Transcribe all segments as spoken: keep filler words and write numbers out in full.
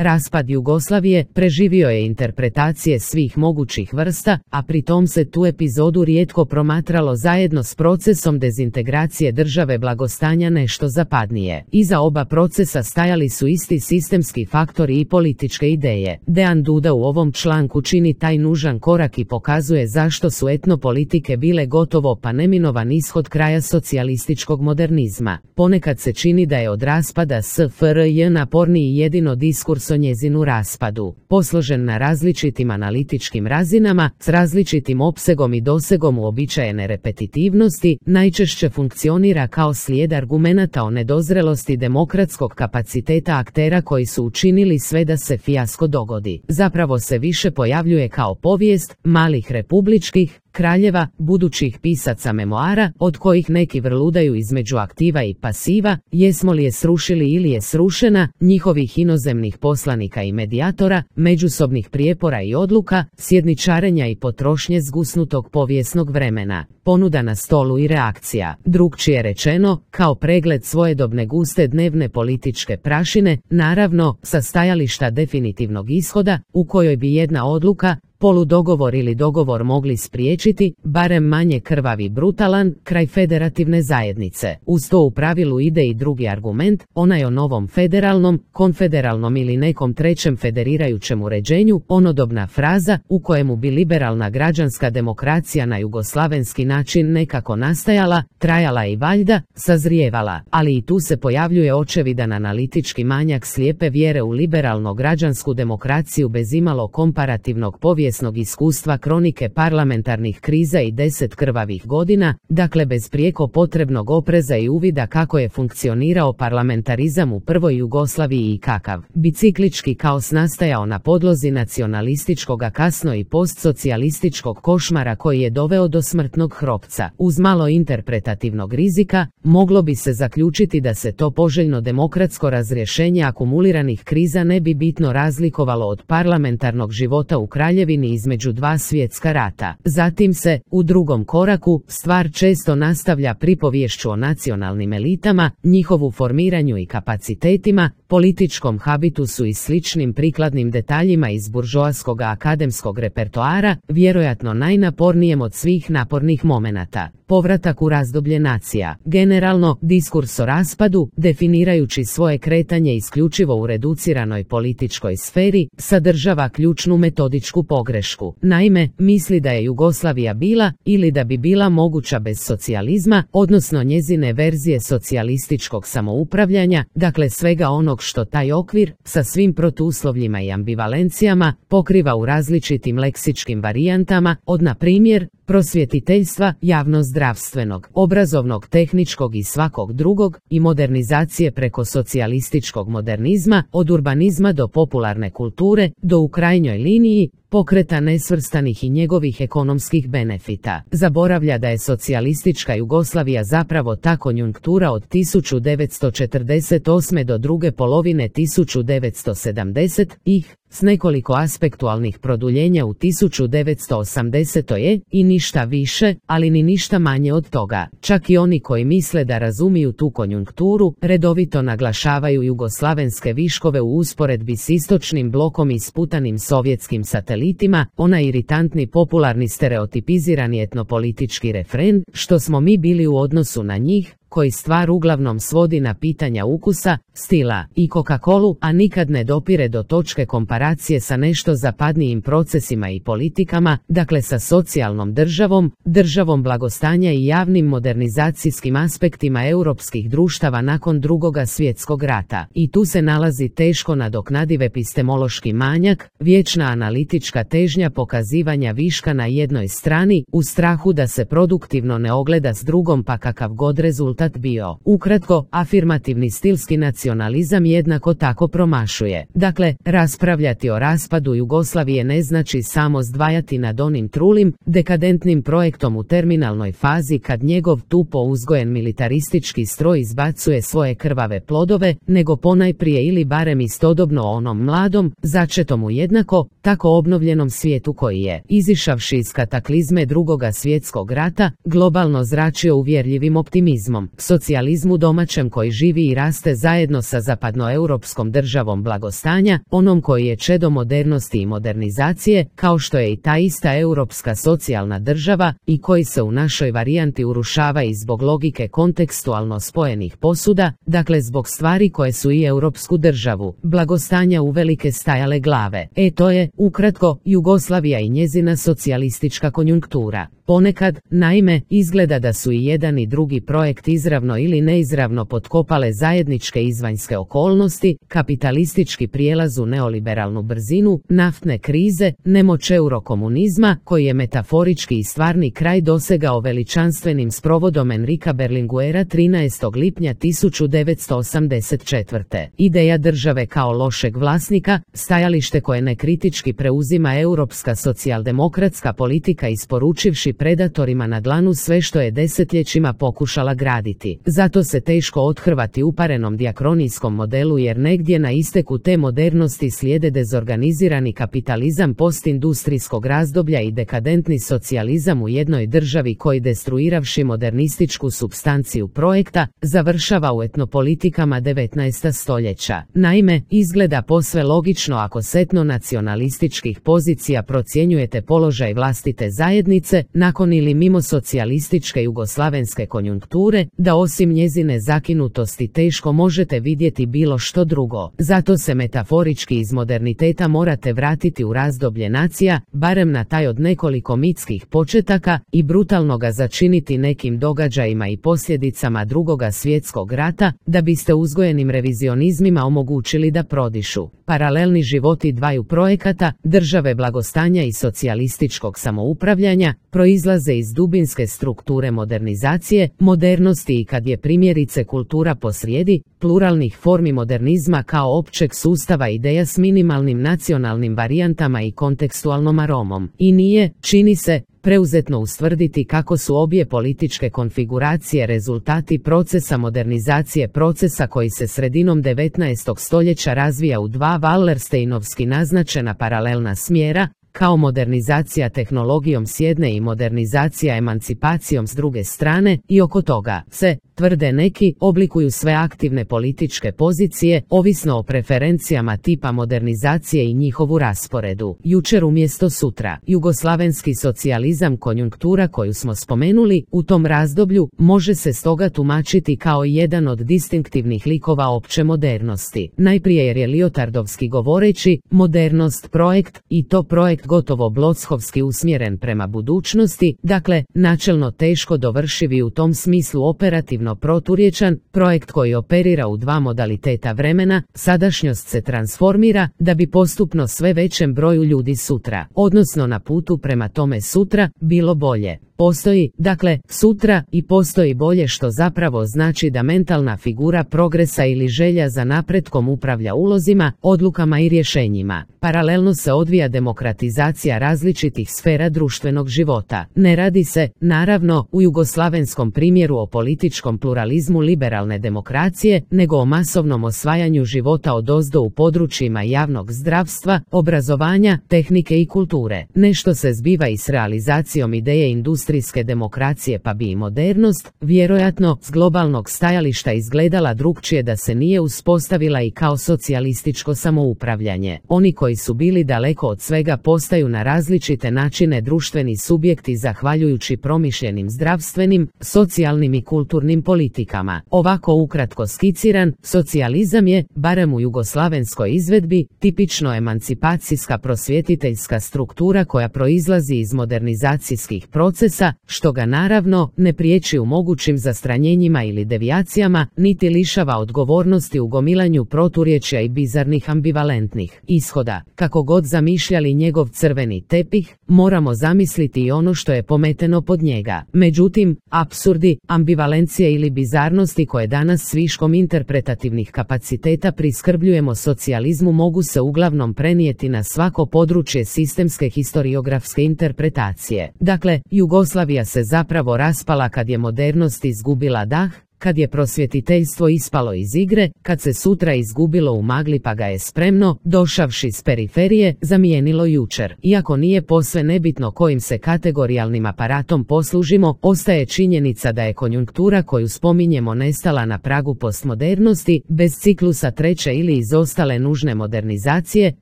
Raspad Jugoslavije preživio je interpretacije svih mogućih vrsta, a pri tom se tu epizodu rijetko promatralo zajedno s procesom dezintegracije države blagostanja nešto zapadnije. Iza oba procesa stajali su isti sistemski faktori i političke ideje. Dean Duda u ovom članku čini taj nužan korak i pokazuje zašto su etnopolitike bile gotovo pa neminovan ishod kraja socijalističkog modernizma. Ponekad se čini da je od raspada S F R J naporniji jedino diskurs o njezinu raspadu, posložen na različitim analitičkim razinama, s različitim opsegom i dosegom uobičajene repetitivnosti, najčešće funkcionira kao slijed argumenata o nedozrelosti demokratskog kapaciteta aktera koji su učinili sve da se fijasko dogodi. Zapravo se više pojavljuje kao povijest malih republičkih kraljeva, budućih pisaca memoara, od kojih neki vrludaju između aktiva i pasiva, jesmo li je srušili ili je srušena, njihovih inozemnih poslanika i medijatora, međusobnih prijepora i odluka, sjedničarenja i potrošnje zgusnutog povijesnog vremena, ponuda na stolu i reakcija. Drukčije rečeno, kao pregled svojedobne guste dnevne političke prašine, naravno, sa stajališta definitivnog ishoda, u kojoj bi jedna odluka, poludogovor ili dogovor mogli spriječiti, barem manje krvavi brutalan, kraj federativne zajednice. Uz to u pravilu ide i drugi argument, onaj o novom federalnom, konfederalnom ili nekom trećem federirajućem uređenju, onodobna fraza u kojemu bi liberalna građanska demokracija na jugoslavenski način nekako nastajala, trajala i valjda, sazrijevala, ali i tu se pojavljuje očevidan analitički manjak slijepe vjere u liberalno građansku demokraciju bez imalo komparativnog povijesnog iskustva kronike parlamentarnih kriza i deset krvavih godina, dakle bez prijeko potrebnog opreza i uvida kako je funkcionirao parlamentarizam u prvoj Jugoslaviji i kakav biciklički kaos nastajao na podlozi nacionalističkog a kasno i postsocijalističkog košmara koji je doveo do smrtnog hropca. Uz malo interpretativnog rizika, moglo bi se zaključiti da se to poželjno demokratsko razrješenje akumuliranih kriza ne bi bitno razlikovalo od parlamentarnog života u kraljevini između dva svjetska rata. Zatim se, u drugom koraku, stvar često nastavlja pripovješću o nacionalnim elitama, njihovu formiranju i kapacitetima, političkom habitusu i sličnim prikladnim detaljima iz buržoaskog akademskog repertoara, vjerojatno najnapornijem od svih napornih momenata. Povratak u razdoblje nacija. Generalno, diskurs o raspadu, definirajući svoje kretanje isključivo u reduciranoj političkoj sferi, sadržava ključnu metodičku pogrešku. Naime, misli da je Jugoslavija bila, ili da bi bila moguća bez socijalizma, odnosno njezine verzije socijalističkog samoupravljanja, dakle svega onog što taj okvir, sa svim protuuslovljima i ambivalencijama, pokriva u različitim leksičkim varijantama, od na primjer, prosvjetiteljstva, javnozdravstvenog, obrazovnog, tehničkog i svakog drugog, i modernizacije preko socijalističkog modernizma, od urbanizma do popularne kulture, do u krajnjoj liniji, pokreta nesvrstanih i njegovih ekonomskih benefita. Zaboravlja da je socijalistička Jugoslavija zapravo ta konjunktura od tisuću devetsto četrdeset osme do druge polovine tisuću devetsto sedamdesetih, s nekoliko aspektualnih produljenja u tisuću devetsto osamdesetoj i ništa više, ali ni ništa manje od toga. Čak i oni koji misle da razumiju tu konjunkturu, redovito naglašavaju jugoslavenske viškove u usporedbi s istočnim blokom i sputanim sovjetskim satelitima, onaj iritantni popularni stereotipizirani etnopolitički refren, što smo mi bili u odnosu na njih, koji stvar uglavnom svodi na pitanja ukusa, stila i Coca-Colu, a nikad ne dopire do točke komparacije sa nešto zapadnijim procesima i politikama, dakle sa socijalnom državom, državom blagostanja i javnim modernizacijskim aspektima europskih društava nakon drugoga svjetskog rata. I tu se nalazi teško nadoknadiv epistemološki manjak, vječna analitička težnja pokazivanja viška na jednoj strani, u strahu da se produktivno ne ogleda s drugom pa kakav god rezultat bio. Ukratko, afirmativni stilski nacionalizam jednako tako promašuje. Dakle, raspravljati o raspadu Jugoslavije ne znači samo zdvajati nad onim trulim, dekadentnim projektom u terminalnoj fazi kad njegov tupo uzgojen militaristički stroj izbacuje svoje krvave plodove, nego ponajprije ili barem istodobno o onom mladom, začetom u jednako, tako obnovljenom svijetu koji je, izišavši iz kataklizme drugoga svjetskog rata, globalno zračio uvjerljivim optimizmom. socijalizmu domaćem koji živi i raste zajedno sa zapadnoeuropskom državom blagostanja, onom koji je čedo modernosti i modernizacije, kao što je i ta ista europska socijalna država i koji se u našoj varijanti urušava i zbog logike kontekstualno spojenih posuda, dakle zbog stvari koje su i europsku državu blagostanja uvelike stajale glave. E to je, ukratko, Jugoslavija i njezina socijalistička konjunktura. Ponekad, naime, izgleda da su i jedan i drugi projekt izravno ili neizravno potkopale zajedničke izvanjske okolnosti, kapitalistički prijelaz u neoliberalnu brzinu, naftne krize, nemoć eurokomunizma, koji je metaforički i stvarni kraj dosegao veličanstvenim sprovodom Enrika Berlinguera trinaestog lipnja tisuću devetsto osamdeset četvrte. Ideja države kao lošeg vlasnika, stajalište koje nekritički preuzima europska socijaldemokratska politika isporučivši predatorima na dlanu sve što je desetljećima pokušala graditi. Zato se teško othrvati uparenom dijakronijskom modelu jer negdje na isteku te modernosti slijede dezorganizirani kapitalizam postindustrijskog razdoblja i dekadentni socijalizam u jednoj državi koji destruiravši modernističku supstanciju projekta, završava u etnopolitikama devetnaestog stoljeća. Naime, izgleda posve logično ako s etno-nacionalističkih pozicija procjenjujete položaj vlastite zajednice, nakon ili mimo socijalističke jugoslavenske konjunkture, da osim njezine zakinutosti teško možete vidjeti bilo što drugo. Zato se metaforički iz moderniteta morate vratiti u razdoblje nacija, barem na taj od nekoliko mitskih početaka, i brutalno ga začiniti nekim događajima i posljedicama drugoga svjetskog rata, da biste uzgojenim revizionizmima omogućili da prodišu. Paralelni životi dvaju projekata, države blagostanja i socijalističkog samoupravljanja, proizlaze iz dubinske strukture modernizacije, modernosti i kad je primjerice kultura posrijedi, pluralnih formi modernizma kao općeg sustava ideja s minimalnim nacionalnim varijantama i kontekstualnom aromom. I nije, čini se, preuzetno ustvrditi kako su obje političke konfiguracije rezultati procesa modernizacije procesa koji se sredinom devetnaestog stoljeća razvija u dva Wallersteinovski naznačena paralelna smjera, kao modernizacija tehnologijom s jedne i modernizacija emancipacijom s druge strane, i oko toga se, tvrde neki, oblikuju sve aktivne političke pozicije, ovisno o preferencijama tipa modernizacije i njihovu rasporedu. Jučer umjesto sutra. Jugoslavenski socijalizam konjunktura koju smo spomenuli, u tom razdoblju, može se stoga tumačiti kao jedan od distinktivnih likova opće modernosti. Najprije jer je Liotardovski govoreći, modernost projekt, i to projekt gotovo blochovski usmjeren prema budućnosti, dakle, načelno teško dovršivi u tom smislu operativno proturječan, projekt koji operira u dva modaliteta vremena, sadašnjost se transformira, da bi postupno sve većem broju ljudi sutra, odnosno na putu prema tome sutra, bilo bolje. Postoji, dakle, sutra i postoji bolje što zapravo znači da mentalna figura progresa ili želja za napretkom upravlja ulozima, odlukama i rješenjima. Paralelno se odvija demokratizacija različitih sfera društvenog života. Ne radi se, naravno, u jugoslavenskom primjeru o političkom pluralizmu liberalne demokracije, nego o masovnom osvajanju života odozdo u područjima javnog zdravstva, obrazovanja, tehnike i kulture. Nešto se zbiva i s realizacijom ideje industrijske demokracije pa bi i modernost, vjerojatno, s globalnog stajališta izgledala drukčije da se nije uspostavila i kao socijalističko samoupravljanje. Oni koji su bili daleko od svega postaju na različite načine društveni subjekti zahvaljujući promišljenim zdravstvenim, socijalnim i kulturnim politikama. Ovako ukratko skiciran, socijalizam je, barem u jugoslavenskoj izvedbi, tipično emancipacijska prosvjetiteljska struktura koja proizlazi iz modernizacijskih procesa, što ga naravno ne priječi u mogućim zastranjenjima ili devijacijama, niti lišava odgovornosti u gomilanju proturječja i bizarnih ambivalentnih ishoda. Kako god zamišljali njegov crveni tepih, moramo zamisliti i ono što je pometeno pod njega. Međutim, apsurdi, ambivalencije ili bizarnosti koje danas s viškom interpretativnih kapaciteta priskrbljujemo socijalizmu mogu se uglavnom prenijeti na svako područje sistemske historiografske interpretacije. Dakle, Jugoslavija se zapravo raspala kad je modernost izgubila dah, kad je prosvjetiteljstvo ispalo iz igre, kad se sutra izgubilo u magli pa ga je spremno, došavši s periferije, zamijenilo jučer. Iako nije posve nebitno kojim se kategorijalnim aparatom poslužimo, ostaje činjenica da je konjunktura koju spominjemo nestala na pragu postmodernosti, bez ciklusa treće ili izostale nužne modernizacije,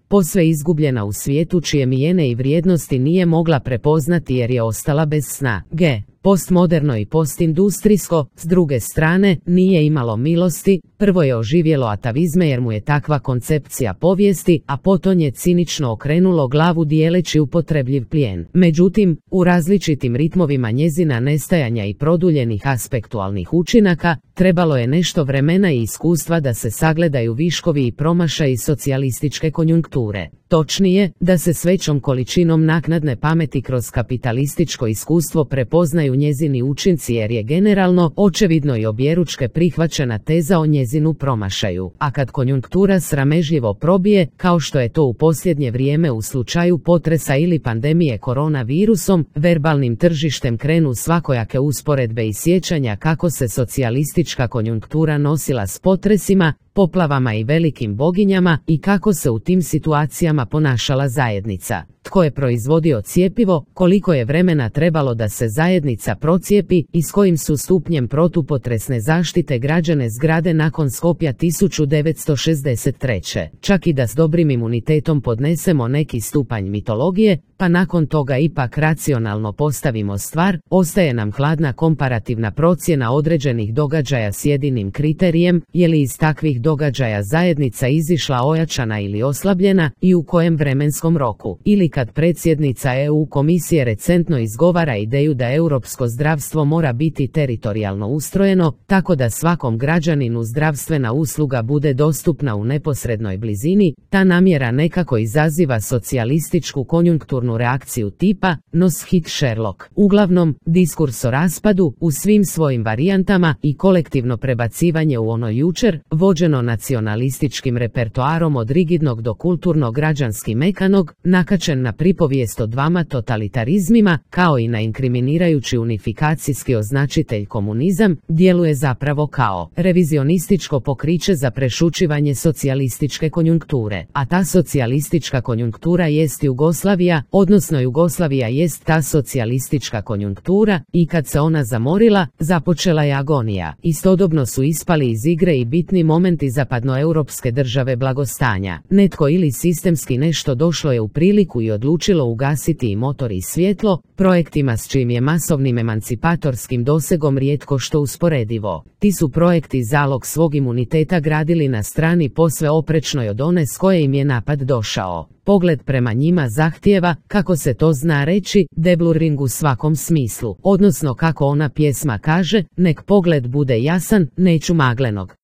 posve izgubljena u svijetu čije mijene i vrijednosti nije mogla prepoznati jer je ostala bez sna. G. Postmoderno i postindustrijsko, s druge strane, nije imalo milosti, prvo je oživjelo atavizme jer mu je takva koncepcija povijesti, a potom je cinično okrenulo glavu dijeleći upotrebljiv plijen. Međutim, u različitim ritmovima njezina nestajanja i produljenih aspektualnih učinaka, trebalo je nešto vremena i iskustva da se sagledaju viškovi i promašaji socijalističke konjunkture. Točnije, da se s većom količinom naknadne pameti kroz kapitalističko iskustvo prepoznaju njezini učinci jer je generalno, očevidno i objeručke prihvaćena teza o njezinu promašaju. A kad konjunktura sramežljivo probije, kao što je to u posljednje vrijeme u slučaju potresa ili pandemije koronavirusom, verbalnim tržištem krenu svakojake usporedbe i sjećanja kako se socijalistička konjunktura nosila s potresima, poplavama i velikim boginjama i kako se u tim situacijama ponašala zajednica. Tko je proizvodio cjepivo, koliko je vremena trebalo da se zajednica procijepi i s kojim su stupnjem protupotresne zaštite građane zgrade nakon Skopja tisuću devetsto šezdeset treće. Čak i da s dobrim imunitetom podnesemo neki stupanj mitologije, pa nakon toga ipak racionalno postavimo stvar, ostaje nam hladna komparativna procjena određenih događaja s jedinim kriterijem, je li iz takvih događaja zajednica izišla ojačana ili oslabljena i u kojem vremenskom roku. Ili kad predsjednica E U komisije recentno izgovara ideju da europsko zdravstvo mora biti teritorijalno ustrojeno, tako da svakom građaninu zdravstvena usluga bude dostupna u neposrednoj blizini, ta namjera nekako izaziva socijalističku konjunkturnu reakciju tipa nos hit Sherlock. Uglavnom, diskurs o raspadu u svim svojim varijantama i kolektivno prebacivanje u ono jučer, vođeno nacionalističkim repertoarom od rigidnog do kulturno građanski mekanog, nakačen na pripovijest o dvama totalitarizmima, kao i na inkriminirajući unifikacijski označitelj komunizam, djeluje zapravo kao revizionističko pokriće za prešućivanje socijalističke konjunkture. A ta socijalistička konjunktura jest Jugoslavija, odnosno Jugoslavija jest ta socijalistička konjunktura, i kad se ona zamorila, započela je agonija. Istodobno su ispali iz igre i bitni momenti zapadnoeuropske države blagostanja. Netko ili sistemski nešto došlo je u priliku i odlučilo ugasiti i motor i svjetlo, projektima s čijim je masovnim emancipatorskim dosegom rijetko što usporedivo. Ti su projekti zalog svog imuniteta gradili na strani posve oprečnoj od one s koje im je napad došao. Pogled prema njima zahtijeva, kako se to zna reći, deblurring u svakom smislu, odnosno kako ona pjesma kaže, nek pogled bude jasan, neću maglenog.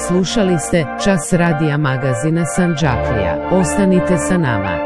Slušali ste Čas radija magazina Sandžaklija. Ostanite sa nama.